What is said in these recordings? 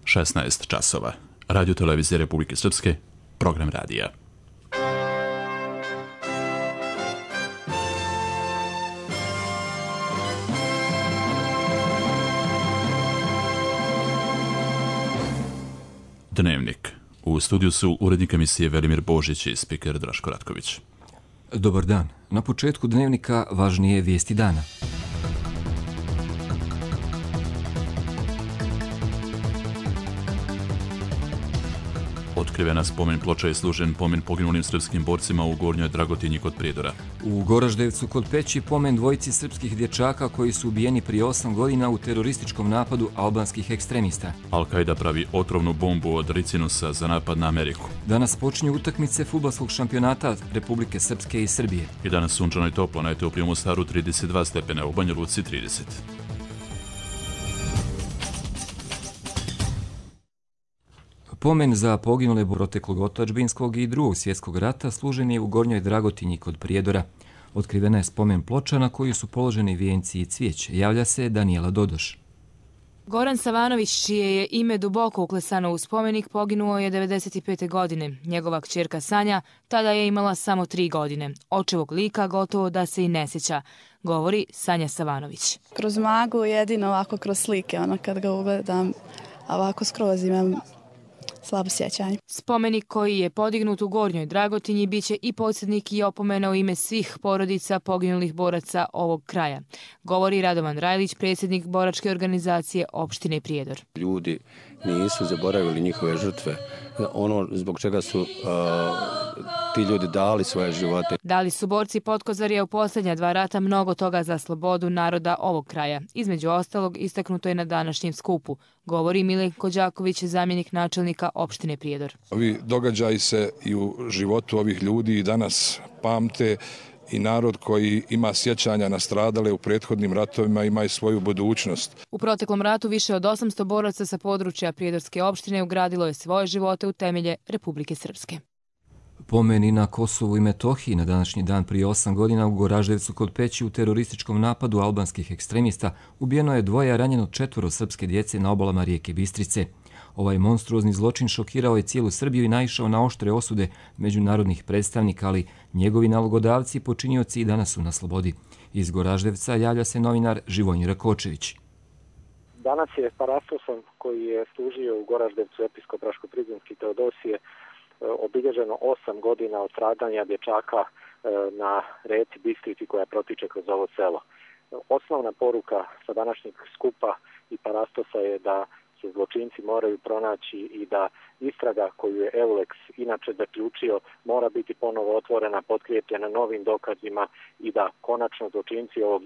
16 časova. Radio televizije Republike Srpske, program radija. Dnevnik. U studiju su urednik emisije Velimir Božić i spiker Draško Ratković. Dobar dan. Na početku dnevnika važnije vijesti dana. Otkrivena spomen ploča je služen pomen poginulim srpskim borcima u Gornjoj Dragotinji kod Prijedora. U Goraždevcu kod Peći pomen dvojici srpskih dječaka koji su ubijeni prije 8 godina u terorističkom napadu albanskih ekstremista. Al-Qaida pravi otrovnu bombu od ricinusa za napad na Ameriku. Danas počinju utakmice fudbalskog šampionata Republike Srpske i Srbije. I danas sunčano i toplo, na Etiopiji u Mostaru 32 stepena, u Banja Luci 30. Pomen za poginule proteklog otadžbinskog i Drugog svjetskog rata služen je u Gornjoj Dragotinji kod Prijedora. Otkrivena je spomen ploča na koju su položeni vijenci i cvijeće. Javlja se Danijela Dodoš. Goran Savanović, čije je ime duboko uklesano u spomenik, poginuo je 95. godine. Njegova kćerka Sanja tada je imala samo 3 godine. Očevog lika gotovo da se i ne sjeća, govori Sanja Savanović. Kroz magu jedino ovako kroz slike, kad ga ugledam, ovako skroz imam slabo sjećanje. Spomenik koji je podignut u Gornjoj Dragotinji biće i podsjetnik i opomena u ime svih porodica poginulih boraca ovog kraja, govori Radovan Rajlić, predsjednik boračke organizacije opštine Prijedor. Ljudi nisu zaboravili njihove žrtve, ono zbog čega su ti ljudi dali svoje živote. Dali su borci Potkozarja u posljednja 2 rata mnogo toga za slobodu naroda ovog kraja. Između ostalog, istaknuto je na današnjem skupu, govori Milenko Đaković, zamjenik načelnika opštine Prijedor. Ovi događaji se i u životu ovih ljudi i danas pamte i narod koji ima sjećanja na stradale u prethodnim ratovima ima i svoju budućnost. U proteklom ratu više od 800 boraca sa područja Prijedorske opštine ugradilo je svoje živote u temelje Republike Srpske. Pomen i na Kosovu i Metohiji na današnji dan prije 8 godina u Goraždevcu kod Peći u terorističkom napadu albanskih ekstremista ubijeno je 2, a ranjeno 4 srpske djece na obalama rijeke Bistrice. Ovaj monstruozni zločin šokirao je cijelu Srbiju i naišao na oštre osude međunarodnih predstavnika, ali njegovi nalogodavci i počinioci i danas su na slobodi. Iz Goraždevca javlja se novinar Živojin Rakočević. Danas je Parastosom, koji je služio u Goraždevcu episkop Raško-Prizrenski Teodosije, obilježeno 8 godina od stradanja dječaka na reci Bistrici koja protiče kroz ovo selo. Osnovna poruka sa današnjeg skupa i Parastosa je da se zločinci moraju pronaći i da istraga koju je Eulex inače zaključio mora biti ponovo otvorena, potkrijepljena novim dokazima i da konačno zločinci ovog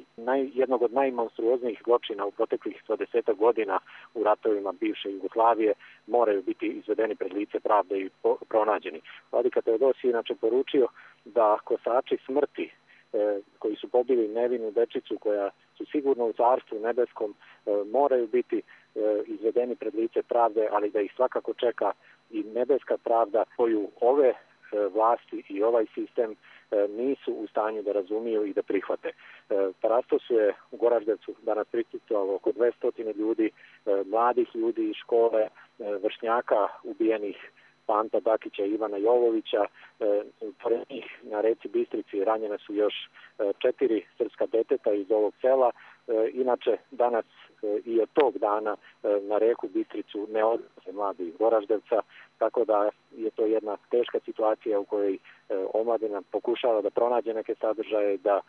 jednog od najmonstruoznijih zločina u proteklih 20 godina u ratovima bivše Jugoslavije moraju biti izvedeni pred lice pravde i pronađeni. Vladika Teodosije inače poručio da kosači smrti koji su pobili nevinu dečicu koja su sigurno u Carstvu nebeskom moraju biti izvedeni pred lice pravde, ali da ih svakako čeka i nebeska pravda koju ove vlasti i ovaj sistem nisu u stanju da razumiju i da prihvate. Parastosu je u Goraždevcu danas prisustvovalo oko 200 ljudi, mladih ljudi iz škole, vršnjaka ubijenih Panta Dakića i Ivana Jovovića. Pored njih na reci Bistrici ranjene su još 4 srpska deteta iz ovog sela. Inače, danas i od tog dana na reku Bistricu ne odlaze mladi iz Goraždevca, tako da je to jedna teška situacija u kojoj omladina pokušava da pronađe neke sadržaje, da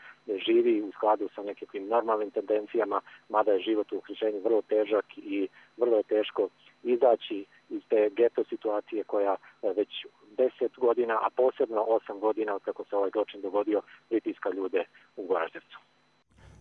živi u skladu sa nekim normalnim tendencijama, mada je život u okruženju vrlo težak i vrlo je teško izaći iz te geto situacije koja već 10 godina, a posebno 8 godina od kako se ovaj zločin dogodio, pritiska ljude u Goraždevcu.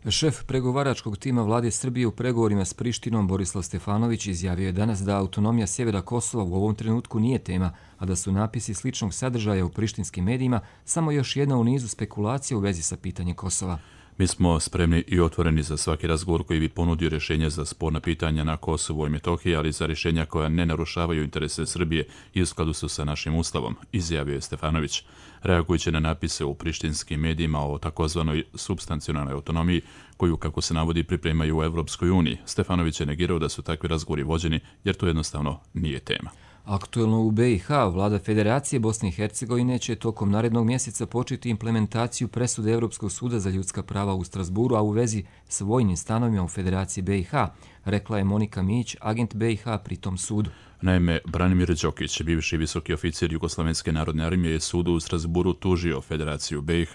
Šef pregovaračkog tima vlade Srbije u pregovorima s Prištinom Borislav Stefanović izjavio je danas da autonomija sjevera Kosova u ovom trenutku nije tema, a da su napisi sličnog sadržaja u prištinskim medijima samo još jedna u nizu spekulacija u vezi sa pitanjem Kosova. Mi smo spremni i otvoreni za svaki razgovor koji bi ponudio rješenje za sporna pitanja na Kosovu i Metohiji, ali za rješenja koja ne narušavaju interese Srbije i u skladu su sa našim ustavom, izjavio je Stefanović. Reagujući na napise u prištinskim medijima o takozvanoj supstancionalnoj autonomiji, koju, kako se navodi, pripremaju u Evropskoj uniji, Stefanović je negirao da su takvi razgovori vođeni, jer to jednostavno nije tema. Aktuelno u BiH, vlada Federacije Bosne i Hercegovine će tokom narednog mjeseca početi implementaciju presude Europskog suda za ljudska prava u Strasburu, a u vezi s vojnim stanovima u Federaciji BiH, rekla je Monika Mić, agent BiH pri tom sudu. Naime, Branimir Đokić, bivši visoki oficir Jugoslovenske narodne armije, je sudu u Strasburu tužio Federaciju BiH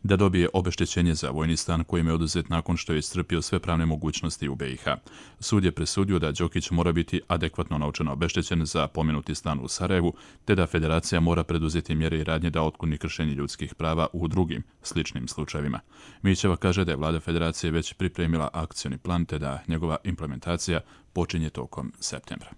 da dobije obeštećenje za vojni stan kojim je oduzet nakon što je iscrpio sve pravne mogućnosti u BiH. Sud je presudio da Đokić mora biti adekvatno novčano obeštećen za pomenuti stan u Sarajevu, te da Federacija mora preduzeti mjere i radnje da otkloni kršenje ljudskih prava u drugim sličnim slučajevima. Mićeva kaže da je vlada Federacije već pripremila akcioni plan, te da njegova implementacija počinje tokom septembra.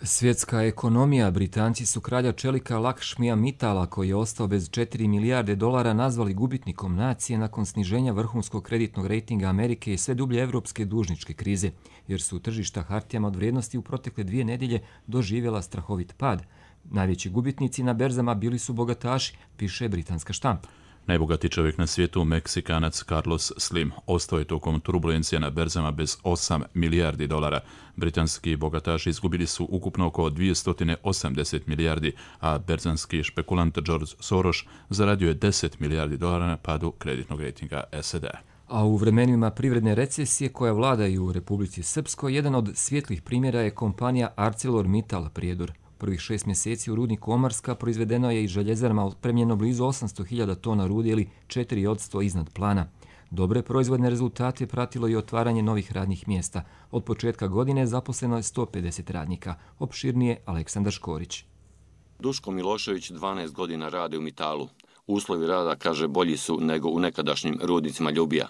Svjetska ekonomija. Britanci su kralja čelika Lakshmija Mittala, koji je ostao bez 4 milijarde dolara, nazvali gubitnikom nacije nakon sniženja vrhunskog kreditnog rejtinga Amerike i sve dublje evropske dužničke krize, jer su tržišta hartijama od vrijednosti u protekle 2 nedjelje doživjela strahovit pad. Najveći gubitnici na berzama bili su bogataši, piše britanska štampa. Najbogatiji čovjek na svijetu, Meksikanac Carlos Slim, ostao je tokom turbulencija na berzama bez 8 milijardi dolara. Britanski bogataši izgubili su ukupno oko 280 milijardi, a berzanski špekulant George Soros zaradio je 10 milijardi dolara na padu kreditnog rejtinga SAD-a. A u vremenima privredne recesije koja vladaju u Republici Srpskoj, jedan od svjetlih primjera je kompanija ArcelorMittal Prijedor. Prvih 6 mjeseci u rudniku Omarska proizvedeno je iz željezarama otpremljeno blizu 800.000 tona rude ili 4% iznad plana. Dobre proizvodne rezultate pratilo i otvaranje novih radnih mjesta. Od početka godine zaposleno je 150 radnika. Opširnije Aleksandar Škorić. Duško Milošević 12 godina radi u Mitalu. Uslovi rada, kaže, bolji su nego u nekadašnjim rudnicima Ljubija.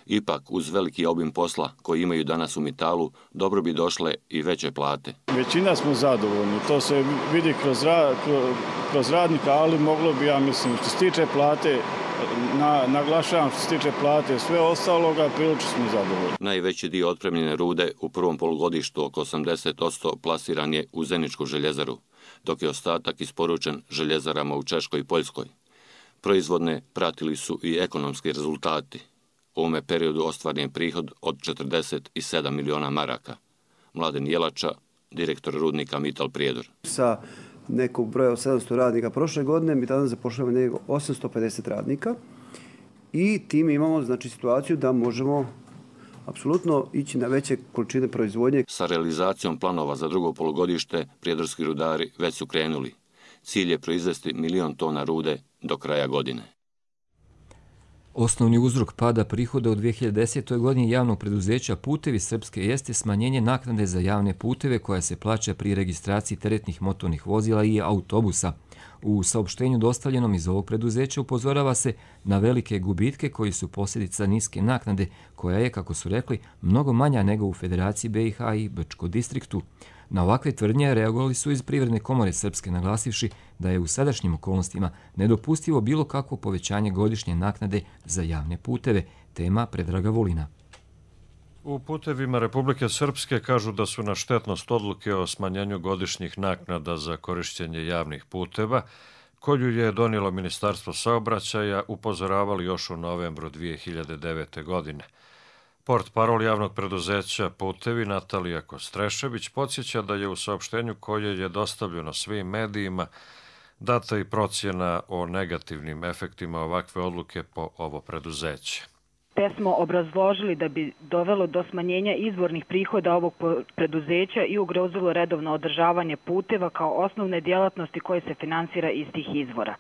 Ipak, uz veliki obim posla koji imaju danas u Mitalu, dobro bi došle i veće plate. Većina smo zadovoljni, to se vidi kroz radnika, ali moglo bi, ja mislim, što se tiče plate, naglašavam što se tiče plate, sve ostaloga, prilično smo zadovoljni. Najveći dio otpremljene rude u prvom polugodištu, oko 80%, plasiran je u Zeničku željezaru, dok je ostatak isporučen željezarama u Češkoj i Poljskoj. Proizvodne pratili su i ekonomski rezultati. U ovome periodu ostvaren je prihod od 47 miliona maraka. Mladen Jelača, direktor rudnika Mittal Prijedor. Sa nekog broja od 700 radnika prošle godine mi danas zapošljavamo nego 850 radnika i tim imamo, znači, situaciju da možemo apsolutno ići na veće količine proizvodnje. Sa realizacijom planova za drugo polugodište prijedorski rudari već su krenuli. Cilj je proizvesti 1 milion tona rude do kraja godine. Osnovni uzrok pada prihoda u 2010. godini javnog preduzeća Putevi Srpske jeste smanjenje naknade za javne puteve koja se plaća pri registraciji teretnih motornih vozila i autobusa. U saopštenju dostavljenom iz ovog preduzeća upozorava se na velike gubitke koji su posljedica niske naknade, koja je, kako su rekli, mnogo manja nego u Federaciji BiH i Brčkom distriktu. Na ovakve tvrdnje reagovali su iz Privredne komore Srpske, naglasivši da je u sadašnjim okolnostima nedopustivo bilo kakvo povećanje godišnje naknade za javne puteve. Tema Predraga Vulina. U Putevima Republike Srpske kažu da su na štetnost odluke o smanjenju godišnjih naknada za korišćenje javnih puteva, koju je donijelo Ministarstvo saobraćaja, upozoravali još u novembru 2009. godine. Portparol javnog preduzeća Putevi Natalija Kostrešević podsjeća da je u saopštenju koje je dostavljeno svim medijima data i procjena o negativnim efektima ovakve odluke po ovo preduzeće. Te smo obrazložili da bi dovelo do smanjenja izvornih prihoda ovog preduzeća i ugrozilo redovno održavanje puteva kao osnovne djelatnosti koje se finansira iz tih izvora.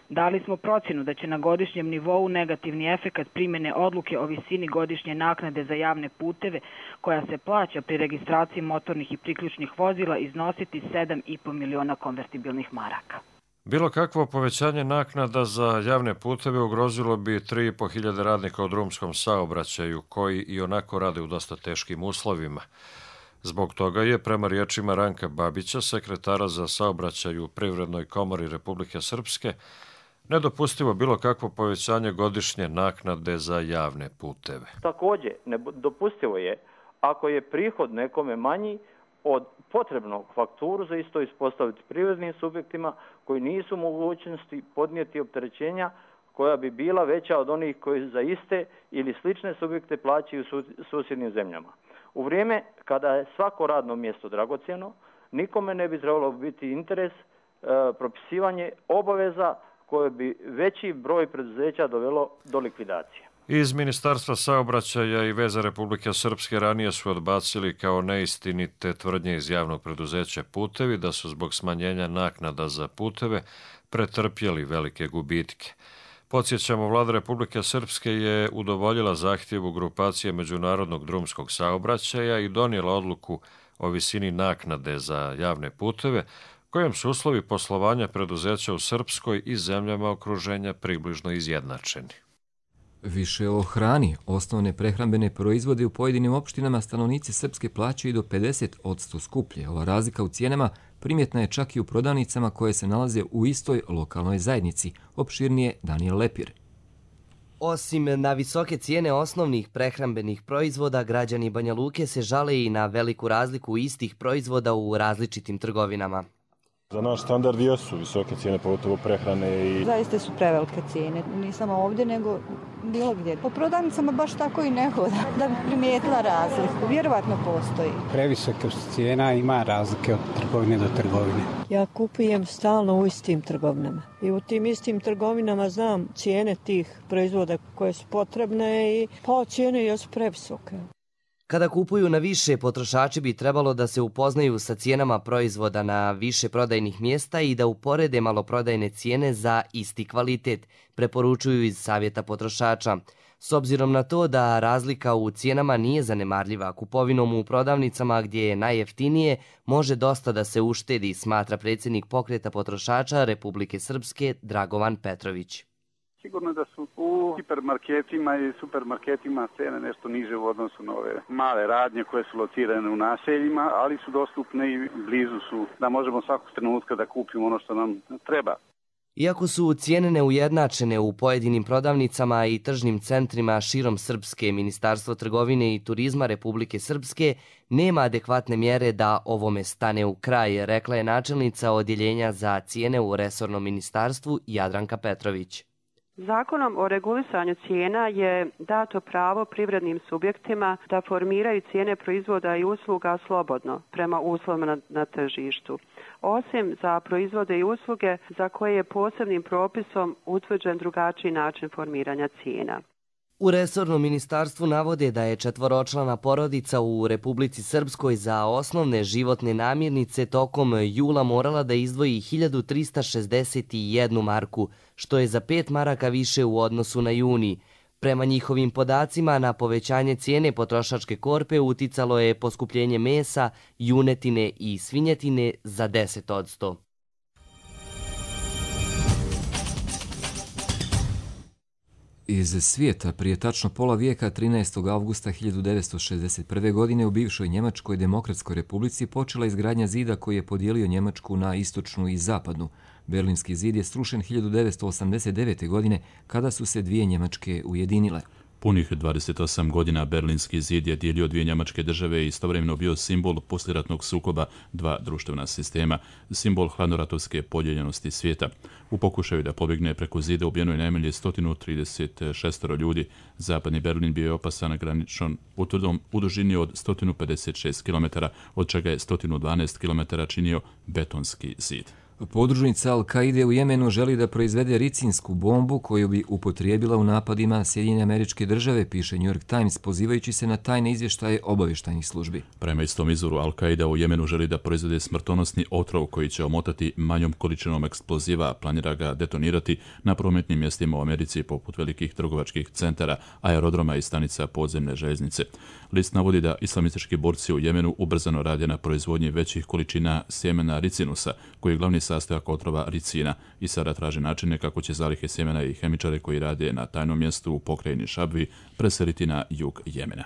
Dali smo procjenu da će na godišnjem nivou negativni efekat primjene odluke o visini godišnje naknade za javne puteve koja se plaća pri registraciji motornih i priključnih vozila iznositi 7,5 miliona konvertibilnih maraka. Bilo kakvo povećanje naknada za javne puteve ugrozilo bi 3.500 radnika u drumskom saobraćaju koji i onako rade u dosta teškim uslovima. Zbog toga je, prema riječima Ranka Babića, sekretara za saobraćaj u Privrednoj komori Republike Srpske, nedopustivo bilo kakvo povećanje godišnje naknade za javne puteve. Također, nedopustivo je ako je prihod nekome manji od potrebnog fakturu za isto ispostaviti privrednim subjektima koji nisu u mogućnosti podnijeti opterećenja koja bi bila veća od onih koji za iste ili slične subjekte plaćaju u susjednim zemljama. U vrijeme kada je svako radno mjesto dragocjeno, nikome ne bi trebalo biti interes propisivanje obaveza koje bi veći broj preduzeća dovelo do likvidacije. Iz Ministarstva saobraćaja i veza Republike Srpske ranije su odbacili kao neistinite tvrdnje iz javnog preduzeća Putevi da su zbog smanjenja naknada za puteve pretrpjeli velike gubitke. Podsjećamo, Vlada Republike Srpske je udovoljila zahtjevu grupacije međunarodnog drumskog saobraćaja i donijela odluku o visini naknade za javne puteve, kojom su uslovi poslovanja preduzeća u Srpskoj i zemljama okruženja približno izjednačeni. Više o hrani. Osnovne prehrambene proizvode u pojedinim opštinama stanovnici Srpske plaćaju do 50% skuplje. Ova razlika u cijenama primjetna je čak i u prodavnicama koje se nalaze u istoj lokalnoj zajednici. Opširnije Daniel Lepir. Osim na visoke cijene osnovnih prehrambenih proizvoda, građani Banja Luke se žale i na veliku razliku istih proizvoda u različitim trgovinama. Za naš standard jesu visoke cijene, pogotovo prehrane i... Zaista su prevelike cijene, ni samo ovdje, nego bilo gdje. Po prodavnicama baš tako i ne hoda, da bi primijetila razliku. Vjerovatno postoji. Previsoke su cijena, ima razlike od trgovine do trgovine. Ja kupujem stalno u istim trgovinama. I u tim istim trgovinama znam cijene tih proizvoda koje su potrebne i cijene jesu previsoke. Kada kupuju na više, potrošači bi trebalo da se upoznaju sa cijenama proizvoda na više prodajnih mjesta i da uporede maloprodajne cijene za isti kvalitet, preporučuju iz Savjeta potrošača. S obzirom na to da razlika u cijenama nije zanemarljiva, kupovinom u prodavnicama gdje je najjeftinije može dosta da se uštedi, smatra predsjednik Pokreta potrošača Republike Srpske Dragovan Petrović. Sigurno da su u hipermarketima i supermarketima cene nešto niže u odnosu na ove male radnje koje su locirane u naseljima, ali su dostupne i blizu su da možemo svakog trenutka da kupimo ono što nam treba. Iako su cijene neujednačene u pojedinim prodavnicama i tržnim centrima širom Srpske, Ministarstvo trgovine i turizma Republike Srpske nema adekvatne mjere da ovome stane u kraj, rekla je načelnica odjeljenja za cijene u resornom ministarstvu Jadranka Petrović. Zakonom o regulisanju cijena je dato pravo privrednim subjektima da formiraju cijene proizvoda i usluga slobodno prema uslovima na tržištu, osim za proizvode i usluge za koje je posebnim propisom utvrđen drugačiji način formiranja cijena. U resornom ministarstvu navode da je četvoročlana porodica u Republici Srpskoj za osnovne životne namirnice tokom jula morala da izdvoji 1361 marku, što je za 5 maraka više u odnosu na juni. Prema njihovim podacima, na povećanje cijene potrošačke korpe uticalo je poskupljenje mesa, junetine i svinjetine za 10%. Iz svijeta, prije tačno pola vijeka, 13. avgusta 1961. godine u bivšoj Njemačkoj demokratskoj republici počela izgradnja zida koji je podijelio Njemačku na istočnu i zapadnu. Berlinski zid je srušen 1989. godine kada su se dvije Njemačke ujedinile. Punih 28 godina Berlinski zid je dijelio dvije njemačke države i istovremeno bio simbol poslijeratnog sukoba dva društvena sistema, simbol hladnoratovske podijeljenosti svijeta. U pokušaju da pobjegne preko zida ubijeno je najmanje 136 ljudi. Zapadni Berlin bio je opasan graničnom utvrdom u dužini od 156 km, od čega je 112 km činio betonski zid. Podružnica Al-Kaide u Jemenu želi da proizvede ricinsku bombu koju bi upotrijebila u napadima Sjedinjene Američke Države, piše New York Times, pozivajući se na tajne izvještaje obavještajnih službi. Prema istom izvoru, Al-Kaida u Jemenu želi da proizvede smrtonosni otrov koji će omotati manjom količinom eksploziva, planira ga detonirati na prometnim mjestima u Americi poput velikih trgovačkih centara, aerodroma i stanica podzemne željeznice. List navodi da islamistički borci u Jemenu ubrzano rade na proizvodnji većih količina sjemena ricinusa, koji je glavni sastojak otrova ricina, i sada traže načine kako će zalihe sjemena i hemičare koji rade na tajnom mjestu u pokrajini Šabvi preseliti na jug Jemena.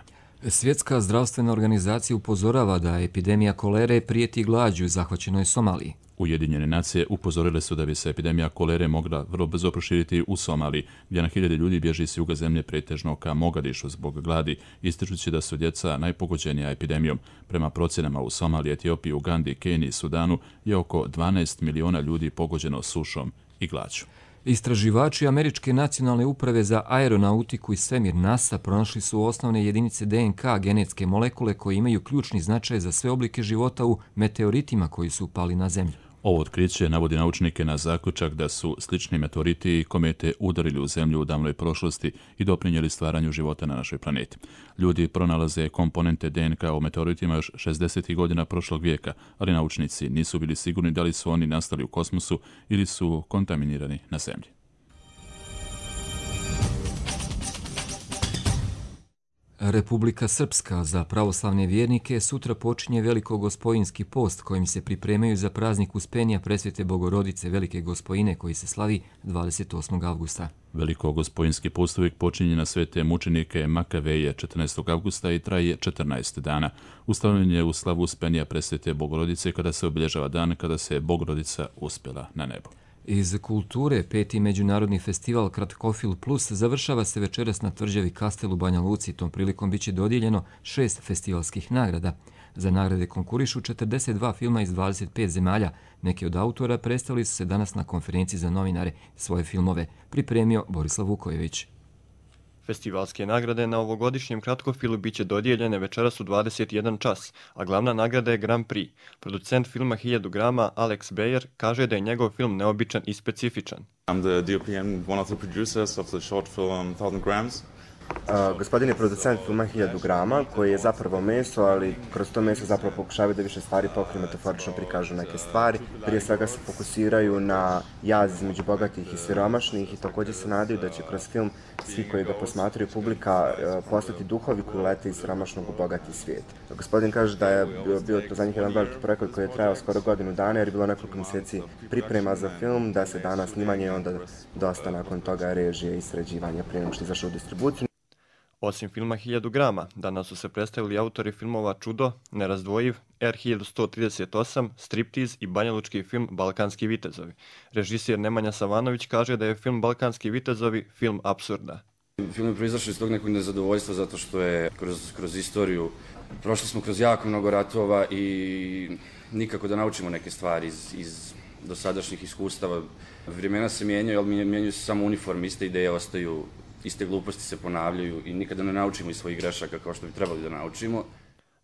Svjetska zdravstvena organizacija upozorava da epidemija kolere prijeti glađu zahvaćenoj Somaliji. Ujedinjene nacije upozorile su da bi se epidemija kolere mogla vrlo brzo proširiti u Somaliji, gdje na hiljade ljudi bježi s juga zemlje pretežno ka Mogadišu zbog gladi, ističući da su djeca najpogođenija epidemijom. Prema procjenama u Somaliji, Etiopiji, Ugandi, Keniji i Sudanu je oko 12 miliona ljudi pogođeno sušom i glađu. Istraživači Američke nacionalne uprave za aeronautiku i svemir NASA pronašli su osnovne jedinice DNK genetske molekule koje imaju ključni značaj za sve oblike života u meteoritima koji su upali na Zemlju. Ovo otkriće navodi naučnike na zaključak da su slični meteoriti i komete udarili u Zemlju u davnoj prošlosti i doprinijeli stvaranju života na našoj planeti. Ljudi pronalaze komponente DNK u meteoritima još 60. godina prošlog vijeka, ali naučnici nisu bili sigurni da li su oni nastali u kosmosu ili su kontaminirani na Zemlji. Republika Srpska za pravoslavne vjernike sutra počinje Velikogospojinski post kojim se pripremaju za praznik Uspenja Presvete Bogorodice Velike Gospojine koji se slavi 28. avgusta. Velikogospojinski post uvijek počinje na svete mučenike Makaveje 14. avgusta i traje 14 dana. Ustanovljen je u slavu Uspenja Presvete Bogorodice kada se obilježava dan kada se Bogorodica uspjela na nebo. Iz kulture, 5. međunarodni festival Kratkofil Plus završava se večeras na tvrđavi Kastel u Banja Luci. Tom prilikom biće dodijeljeno 6 festivalskih nagrada. Za nagrade konkurišu 42 filma iz 25 zemalja. Neki od autora predstavili su se danas na konferenciji za novinare. Svoje filmove pripremio Borislav Vukojević. Festivalske nagrade na ovogodišnjem kratkofilu biće dodijeljene večeras u 21 čas, a glavna nagrada je Grand Prix. Producent filma 1000 grama Alex Bayer kaže da je njegov film neobičan i specifičan. I'm the DOP and one of the producers of the short film 1000 grams. Gospodin je producent filma 1000 grama, koji je zapravo meso, ali kroz to meso zapravo pokušavaju da više stvari pokriju, metaforično prikažu neke stvari. Prije svega se fokusiraju na jaz između bogatih i siromašnih i također se nadaju da će kroz film svi koji ga posmatraju publika postati duhovi koji lete iz siromašnog u bogati svijet. Gospodin kaže da je bio to za njih jedan veliki projekat koji je trajao skoro godinu dana jer je bilo nekoliko mjeseci priprema za film, da se dana snimanje i onda dosta nakon toga režije i sređivanja prije nego što izašao u distribuciju. Osim filma 1000 grama, danas su se predstavili autori filmova Čudo, Nerazdvojiv, R1138, Striptiz i banjalučki film Balkanski vitezovi. Režisir Nemanja Savanović kaže da je film Balkanski vitezovi film apsurda. Film je proizašao iz tog nekog nezadovoljstva zato što je kroz istoriju prošli smo kroz jako mnogo ratova i nikako da naučimo neke stvari iz dosadašnjih iskustava. Vremena se mijenjaju, ali mijenjaju se samo uniforme, iste ideje ostaju, iste gluposti se ponavljaju i nikada ne naučimo iz svojih grešaka kao što bi trebali da naučimo.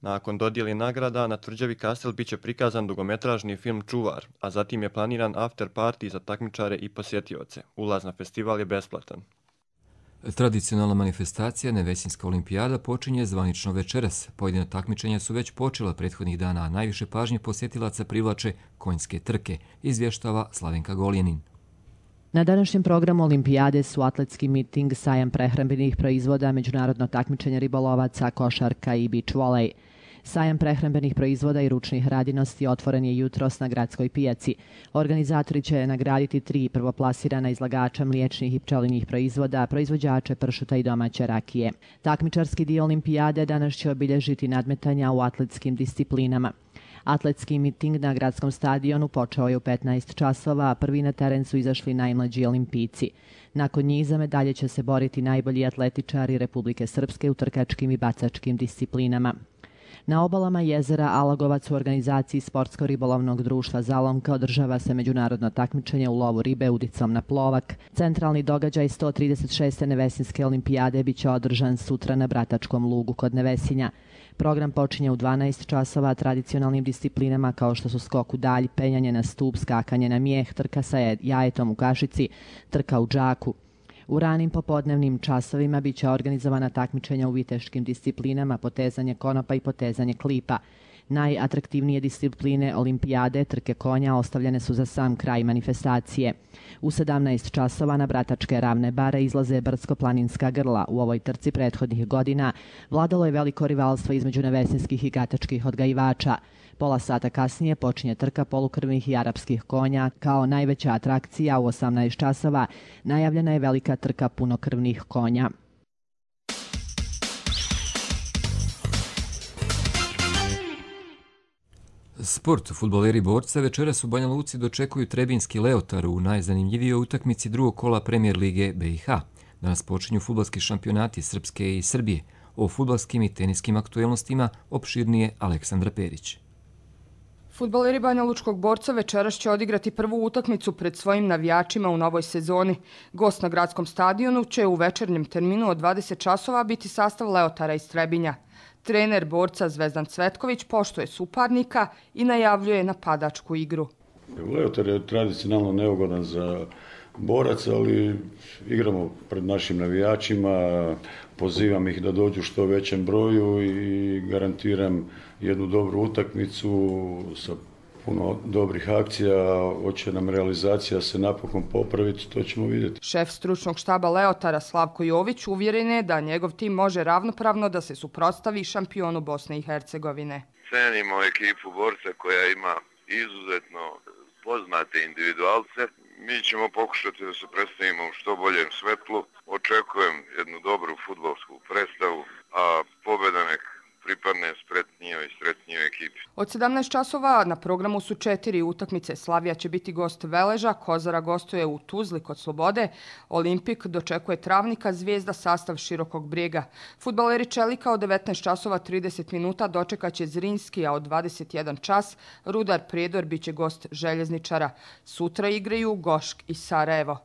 Nakon dodijeli nagrada, na tvrđavi Kastel biće prikazan dugometražni film Čuvar, a zatim je planiran after party za takmičare i posjetioce. Ulaz na festival je besplatan. Tradicionalna manifestacija Nevesinska olimpijada počinje zvanično večeras. Pojedina takmičenja su već počela prethodnih dana, a najviše pažnje posjetilaca privlače konjske trke, izvještava Slavenka Goljenin. Na današnjem programu olimpijade su atletski miting, sajam prehrambenih proizvoda, međunarodno takmičenje ribolovaca, košarka i beach volej. Sajam prehrambenih proizvoda i ručnih radinosti otvoren je jutros na gradskoj pijaci. Organizatori će nagraditi 3 prvoplasirana izlagača mliječnih i pčelinjih proizvoda, proizvođače pršuta i domaće rakije. Takmičarski dio olimpijade danas će obilježiti nadmetanja u atletskim disciplinama. Atletski miting na gradskom stadionu počeo je u 15 časova, a prvi na teren su izašli najmlađi olimpijci. Nakon njih za medalje će se boriti najbolji atletičari Republike Srpske u trkačkim i bacačkim disciplinama. Na obalama jezera Alagovac u organizaciji Sportsko-ribolovnog društva Zalomka održava se međunarodno takmičenje u lovu ribe udicom na plovak. Centralni događaj 136. Nevesinske olimpijade biće održan sutra na Bratačkom lugu kod Nevesinja. Program počinje u 12 časova tradicionalnim disciplinama kao što su skok u dalj, penjanje na stup, skakanje na mijeh, trka sa jajetom u kašici, trka u džaku. U ranim popodnevnim časovima biće organizovana takmičenja u viteškim disciplinama, potezanje konopa i potezanje klipa. Najatraktivnije discipline olimpijade, trke konja, ostavljene su za sam kraj manifestacije. U 17 časova na Bratačke ravne bare izlaze brdsko-planinska grla. U ovoj trci prethodnih godina vladalo je veliko rivalstvo između nevesinskih i gatačkih odgajivača. Pola sata kasnije počinje trka polukrvnih i arapskih konja. Kao najveća atrakcija u 18 časova najavljena je velika trka punokrvnih konja. Sport. Fudbaleri Borca večeras u Banja Luci dočekuju Trebinski Leotar u najzanimljivijoj utakmici drugog kola Premijer lige BiH. Danas počinju fudbalski šampionati Srpske i Srbije. O fudbalskim i teniskim aktuelnostima opširnije Aleksandra Perić. Fudbaleri Banja Lučkog Borca večeras će odigrati prvu utakmicu pred svojim navijačima u novoj sezoni. Gost na gradskom stadionu će u večernjem terminu od 20 časova biti sastav Leotara iz Trebinja. Trener Borca Zvezdan Cvetković poštuje suparnika i najavljuje napadačku igru. Leotar je tradicionalno neugodan za Borac, ali igramo pred našim navijačima, pozivam ih da dođu što većem broju i garantiram jednu dobru utakmicu sa puno dobrih akcija. Hoće nam realizacija se napokon popraviti, to ćemo vidjeti. Šef stručnog štaba Leotara Slavko Jović uvjeren je da njegov tim može ravnopravno da se suprotstavi šampionu Bosne i Hercegovine. Cenimo ekipu Borca koja ima izuzetno poznate individualce. Mi ćemo pokušati da se predstavimo u što boljem svetlu. Očekujem jednu dobru fudbalsku predstavu, a pobjeda nek pripadne spretnijoj ekipi. Od 17 časova na programu su 4 utakmice. Slavija će biti gost Veleža, Kozara gostuje u Tuzli kod Slobode, Olimpik dočekuje Travnika, Zvijezda sastav Širokog Brijega. Fudbaleri Čelika od 19 časova 30 minuta dočekaće Zrinski, a od 21 čas Rudar Prijedor biće gost Željezničara. Sutra igraju Gošk i Sarajevo.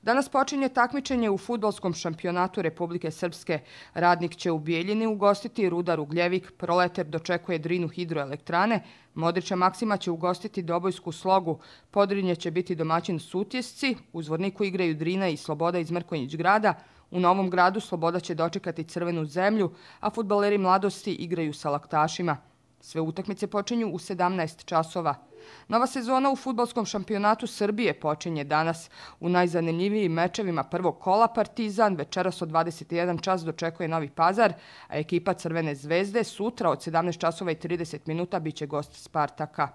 Danas počinje takmičenje u fudbalskom šampionatu Republike Srpske. Radnik će u Bijeljini ugostiti Rudar Ugljevik, Proleter dočekuje Drinu hidroelektrane, Modrića Maksima će ugostiti Dobojsku Slogu, Podrinje će biti domaćin Sutjesci, u Zvorniku igraju Drina i Sloboda iz Mrkonjić grada, u Novom Gradu Sloboda će dočekati Crvenu zemlju, a fudbaleri Mladosti igraju sa Laktašima. Sve utakmice počinju u 17 časova. Nova sezona u fudbalskom šampionatu Srbije počinje danas. U najzanimljivijim mečevima prvog kola Partizan večeras od 21 čas dočekuje Novi Pazar, a ekipa Crvene zvezde sutra od 17 časova i 30 minuta biće gost Spartaka.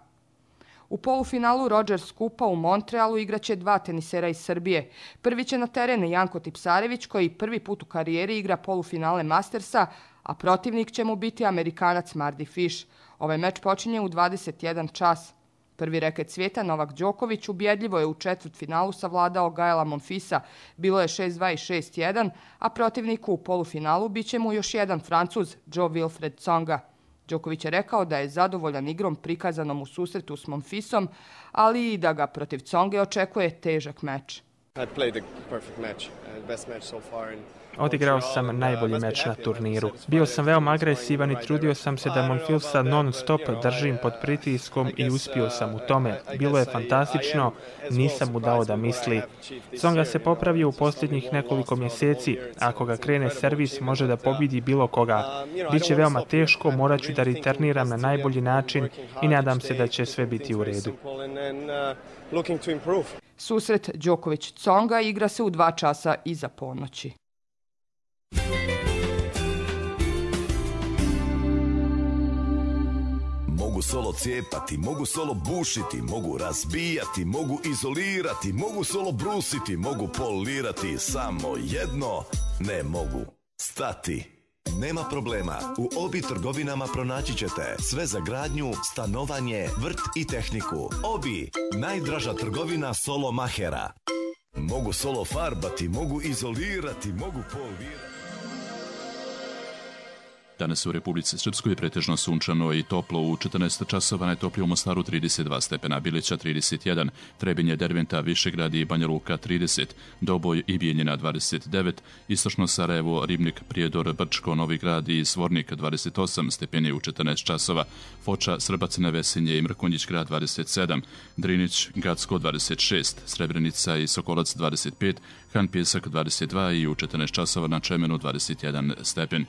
U polufinalu Rogers Kupa u Montrealu igraće 2 tenisera iz Srbije. Prvi će na teren Janko Tipsarević koji prvi put u karijeri igra polufinale Mastersa, a protivnik će mu biti Amerikanac Mardy Fish. Ovaj meč počinje u 21 čas. Prvi reket svijeta Novak Đoković ubjedljivo je u četvrtfinalu savladao Gaela Monfisa. Bilo je 6-2 i 6-1, a protivniku u polufinalu bit će mu još jedan Francuz, Joe Wilfred Tsonga. Đoković je rekao da je zadovoljan igrom prikazanom u susretu s Monfisom, ali i da ga protiv Tsonge očekuje težak meč. Odigrao sam najbolji meč na turniru. Bio sam veoma agresivan i trudio sam se da Monfilsa non-stop držim pod pritiskom i uspio sam u tome. Bilo je fantastično, nisam mu dao da misli. Tsonga se popravio u posljednjih nekoliko mjeseci. Ako ga krene servis, može da pobidi bilo koga. Biće veoma teško, morat ću da returniram na najbolji način i nadam se da će sve biti u redu. Susret Đoković-Tsonga igra se u 2 časa iza ponoći. Mogu solo cijepati, mogu solo bušiti, mogu razbijati, mogu izolirati, mogu solo brusiti, mogu polirati, samo jedno ne mogu stati. Nema problema, u Obi trgovinama pronaći ćete sve za gradnju, stanovanje, vrt i tehniku. Obi, najdraža trgovina solo mahera. Mogu solo farbati, mogu izolirati, mogu polirati. Danas u Republici Srpskoj pretežno sunčano i toplo. U 14 časova najtoplije u Mostaru 32 stepena, Bilića 31, Trebinje, Derventa, Višegrad i Banja Luka 30, Doboj i Bijeljina 29, Istočno Sarajevo, Ribnik, Prijedor, Brčko, Novi Grad i Zvornik 28 stepeni u 14 časova, Foča, Srbacina, Vesinje i Mrkonjić grad 27, Drinić, Gacko 26, Srebrenica i Sokolac 25, Han Pjesak 22 i u 14 časova na Čemenu 21 stepen.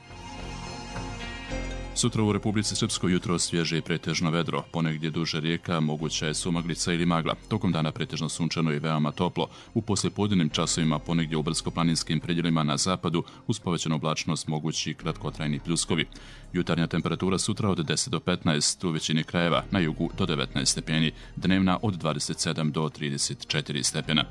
Sutra u Republici Srpskoj jutro svježe i pretežno vedro, ponegdje duže rijeka, moguća je sumaglica ili magla. Tokom dana pretežno sunčano i veoma toplo. U poslijepodnevnim časovima ponegdje u brdsko-planinskim predjelima na zapadu uz povećanu oblačnost mogući kratkotrajni pljuskovi. Jutarnja temperatura sutra od 10 do 15, u većini krajeva, na jugu do 19 stepeni, dnevna od 27 do 34 stepena.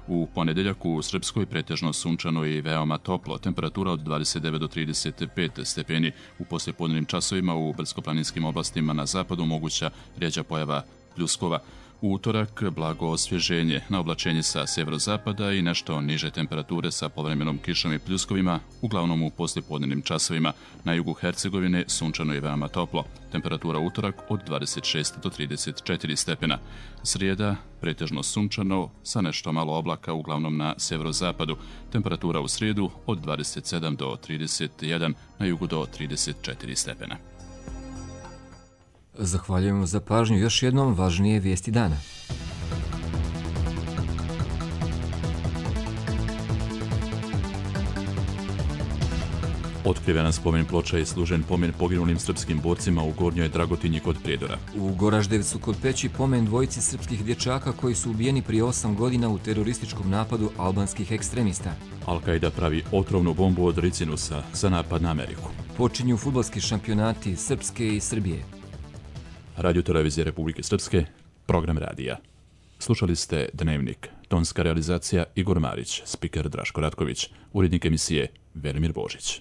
U ponedeljak u Srpskoj pretežno sunčano i veoma toplo, temperatura od 29 do 35 stepeni. U poslijepodnevnim časovima u brdsko-planinskim oblastima na zapadu moguća rjeđa pojava pljuskova. U utorak blago osvježenje, na oblačenje sa sjeverozapada i nešto niže temperature sa povremenom kišom i pljuskovima, uglavnom u poslijepodnevnim časovima. Na jugu Hercegovine sunčano i veoma toplo, temperatura utorak od 26 do 34 stepena. Srijeda pretežno sunčano sa nešto malo oblaka, uglavnom na sjeverozapadu, temperatura u srijedu od 27 do 31, na jugu do 34 stepena. Zahvaljujemo za pažnju. Još jednom važnije vijesti dana. Otkrivena spomen ploča je služen pomen poginulim srpskim borcima u Gornjoj Dragotinji kod Prijedora. U Goraždevcu kod Peći pomen dvojici srpskih dječaka koji su ubijeni prije 8 godina u terorističkom napadu albanskih ekstremista. Al-Qaida pravi otrovnu bombu od ricinusa za napad na Ameriku. Počinju fudbalski šampionati Srpske i Srbije. Radio Televizije Republike Srpske, program radija. Slušali ste Dnevnik, tonska realizacija Igor Marić, spiker Draško Ratković, urednik emisije Velimir Božić.